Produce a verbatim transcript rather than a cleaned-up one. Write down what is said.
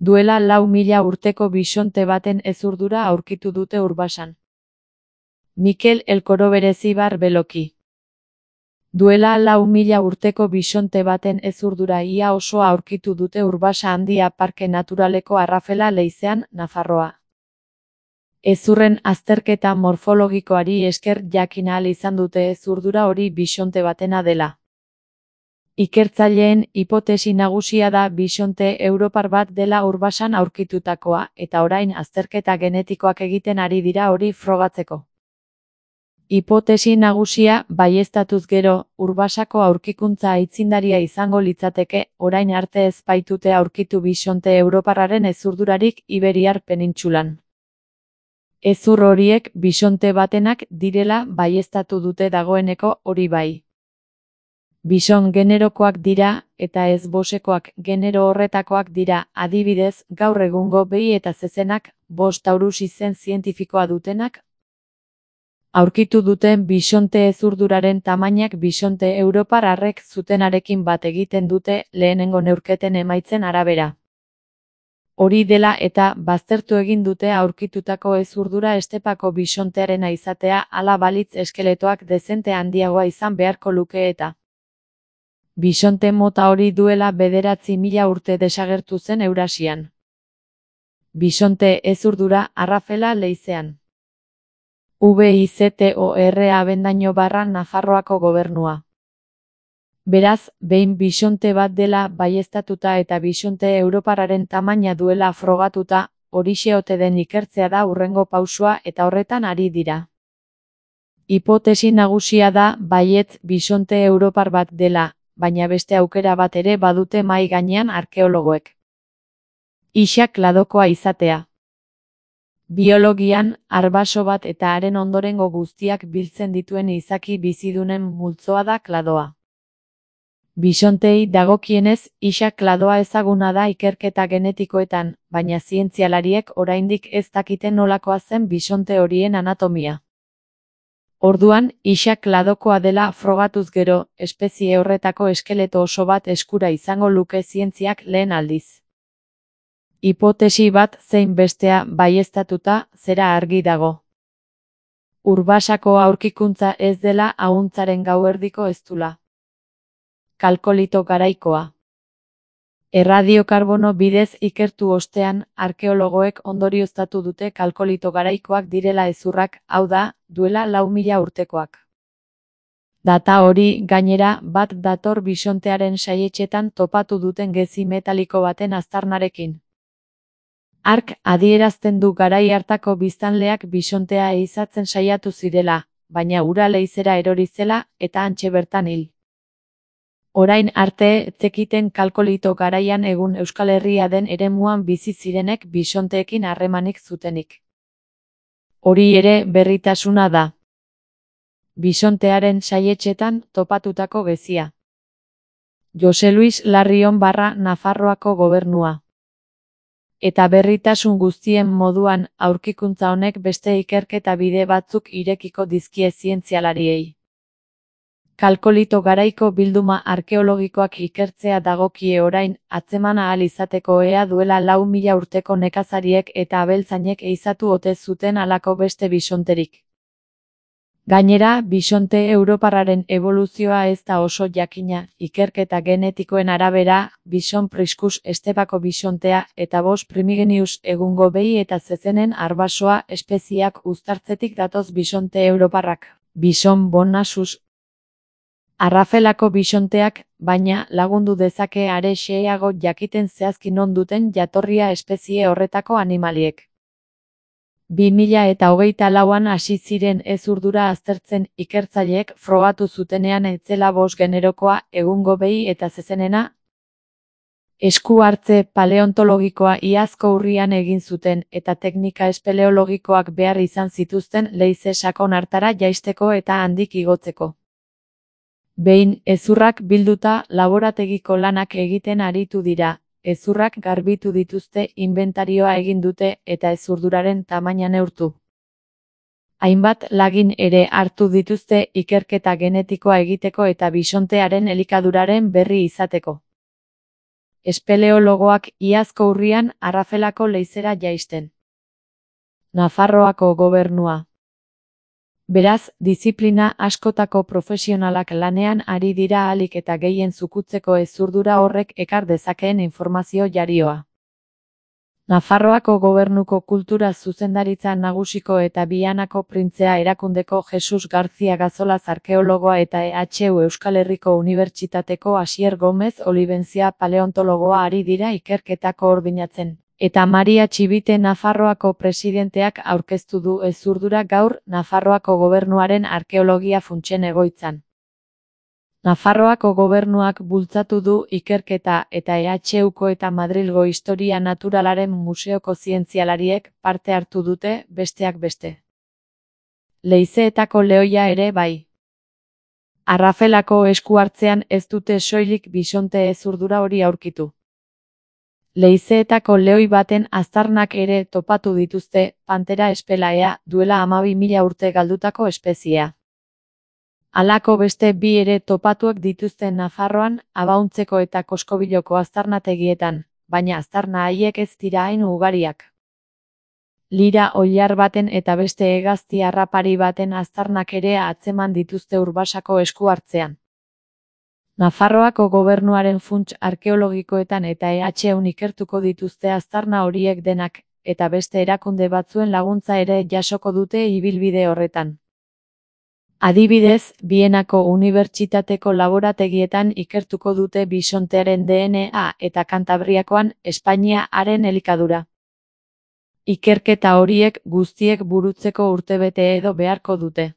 Duela lau mila urteko bisonte baten hezurdura aurkitu dute Urbasan. Mikel Elkoro Berezibar Beloki. Duela lau mila urteko bisonte baten hezurdura ia osoa aurkitu dute Urbasa Handia Parke Naturaleko Arrafela Leizean, Nafarroa. Hezurren azterketa morfologikoari esker jakin ahal izan dute hezurdura hori bisonte batena dela. Ikertzaileen hipotesi nagusia da bisonte europar bat dela Urbasan aurkitutakoa, eta orain azterketa genetikoak egiten ari dira hori frogatzeko. Hipotesi nagusia baieztatuz gero, Urbasako aurkikuntza aitzindaria izango litzateke, orain arte ez baitute aurkitu bisonte europarraren hezurdurarik Iberiar penintsulan. Hezur horiek bisonte batenak direla baieztatu dute dagoeneko, hori bai. Bison generokoak dira, eta ez bosekoak genero horretakoak dira, adibidez, gaur egungo behi eta zezenak, bost Taurus izen zientifikoa dutenak. Aurkitu duten bisonte hezurduraren tamainak bisonte europar arrek zutenarekin bat egiten dute lehenengo neurketen emaitzen arabera. Hori dela eta baztertu egin dute aurkitutako hezurdura estepako bisontearena izatea, hala balitz eskeletoak dezente handiagoa izan beharko luke eta. Bisonte mota hori duela bederatzi mila urte desagertu zen Eurasian. Bisonte hezurdura Arrafela Leizean. VIZTOR Abendaño barra Nafarroako gobernua. Beraz, behin bisonte bat dela baieztatuta eta bisonte europarraren tamaina duela frogatuta, horixe ote den ikertzea da hurrengo pausua eta horretan ari dira. Hipotesi nagusia da baietz bisonte europar bat dela, baina beste aukera bat ere badute mahai gainean arkeologoek. Ixa kladokoa izatea. Biologian, arbaso bat eta haren ondorengo guztiak biltzen dituen izaki bizidunen multzoa da kladoa. Bisontei dagokienez, ixa kladoa ezaguna da ikerketa genetikoetan, baina zientzialariek oraindik ez dakiten nolakoa zen bisonte horien anatomia. Orduan, ixa kladokoa dela frogatuz gero, espezie horretako eskeleto oso bat eskura izango luke zientziak lehen aldiz. Hipotesi bat zein bestea baieztatuta zera argi dago. Urbasako aurkikuntza ez dela ahuntzaren gauerdiko eztula. Kalkolito garaikoa. Erradiokarbono bidez ikertu ostean, arkeologoek ondorioztatu dute kalkolito garaikoak direla hezurrak, hau da, duela lau mila urtekoak. Data hori, gainera, bat dator bisontearen saietxetan topatu duten gezi metaliko baten aztarnarekin. Hark adierazten du garai hartako biztanleak bisontea ehizatzen saiatu zirela, baina ura leizera erori zela eta hantxe bertan hil. Orain arte zekiten kalkolito garaian egun Euskal Herria den eremuan bizi zirenek bisonteekin harremanik zutenik. Hori ere berritasuna da. Bisontearen saietxetan topatutako gezia. Jose Luis Larrion barra Nafarroako gobernua. Eta berritasun guztien moduan aurkikuntza honek beste ikerketa bide batzuk irekiko dizkie zientzialariei. Kalkolito garaiko bilduma arkeologikoak ikertzea dagokie orain, atzeman ahal izateko ea duela lau mila urteko nekazariek eta abeltzainek ehizatu ote zuten halako beste bisonterik. Gainera, bisonte europarraren eboluzioa ez da oso jakina, ikerketa genetikoen arabera, bison priscus estepako bisontea eta bos primigenius egungo behi eta zezenen arbasoa espezieak uztartzetik datoz bisonte europarrak, bison bonasus. Arrafelako bisonteak, baina, lagundu dezake are xeheago jakiten zehazki non duten jatorria espezie horretako animaliek. bi mila eta hogeita lauan hasi ziren hezurdura aztertzen ikertzaileek frogatu zutenean ez zela bost generokoa egungo behi eta zezenena. Esku hartze paleontologikoa iazko urrian egin zuten eta teknika espeleologikoak behar izan zituzten leize sakon hartara jaisteko eta handik igotzeko. Behin, hezurrak bilduta laborategiko lanak egiten aritu dira. Hezurrak garbitu dituzte, inbentarioa egin dute eta hezurduraren tamaina neurtu. Hainbat lagin ere hartu dituzte ikerketa genetikoa egiteko eta bisontearen elikaduraren berri izateko. espeleologoak iazko urrian Arrafelako leizera jaisten. Nafarroako gobernua. Beraz, diziplina askotako profesionalak lanean ari dira ahalik eta gehien zukutzeko hezurdura horrek ekar dezakeen informazio jarioa. Nafarroako gobernuko kultura zuzendaritza nagusiko eta Bianako printzea erakundeko Jesus Garzia Gazolaz arkeologoa eta E H U Euskal Herriko Unibertsitateko Asier Gomez Olibentzia paleontologoa ari dira ikerketa koordinatzen. Eta Maria Txibite Nafarroako presidenteak aurkeztu du hezurdura gaur Nafarroako gobernuaren arkeologia funtsen egoitzan. Nafarroako gobernuak bultzatu du ikerketa eta E H Uko eta Madrilgo Historia Naturalaren Museoko zientzialariek parte hartu dute, besteak beste. Leizeetako lehoia ere bai. Arrafelako esku hartzean ez dute soilik bisonte hezurdura hori aurkitu. Leizeetako lehoi baten aztarnak ere topatu dituzte, Pantera espelaea, duela hamabi mila urte galdutako espeziea. Halako beste bi ere topatuak dituzte Nafarroan, Abauntzeko eta Koskobiloko aztarnategietan, baina aztarna haiek ez dira hain ugariak. Lira oilar baten eta beste hegazti harrapari baten aztarnak ere atzeman dituzte Urbasako esku hartzean. Nafarroako gobernuaren funts arkeologikoetan eta E H Un ikertuko dituzte aztarna horiek denak, eta beste erakunde batzuen laguntza ere jasoko dute ibilbide horretan. Adibidez, Bienako Unibertsitateko laborategietan ikertuko dute bisontearen D N A eta Kantabriakoan Espainia-aren elikadura. Ikerketa horiek guztiek burutzeko urtebete edo beharko dute.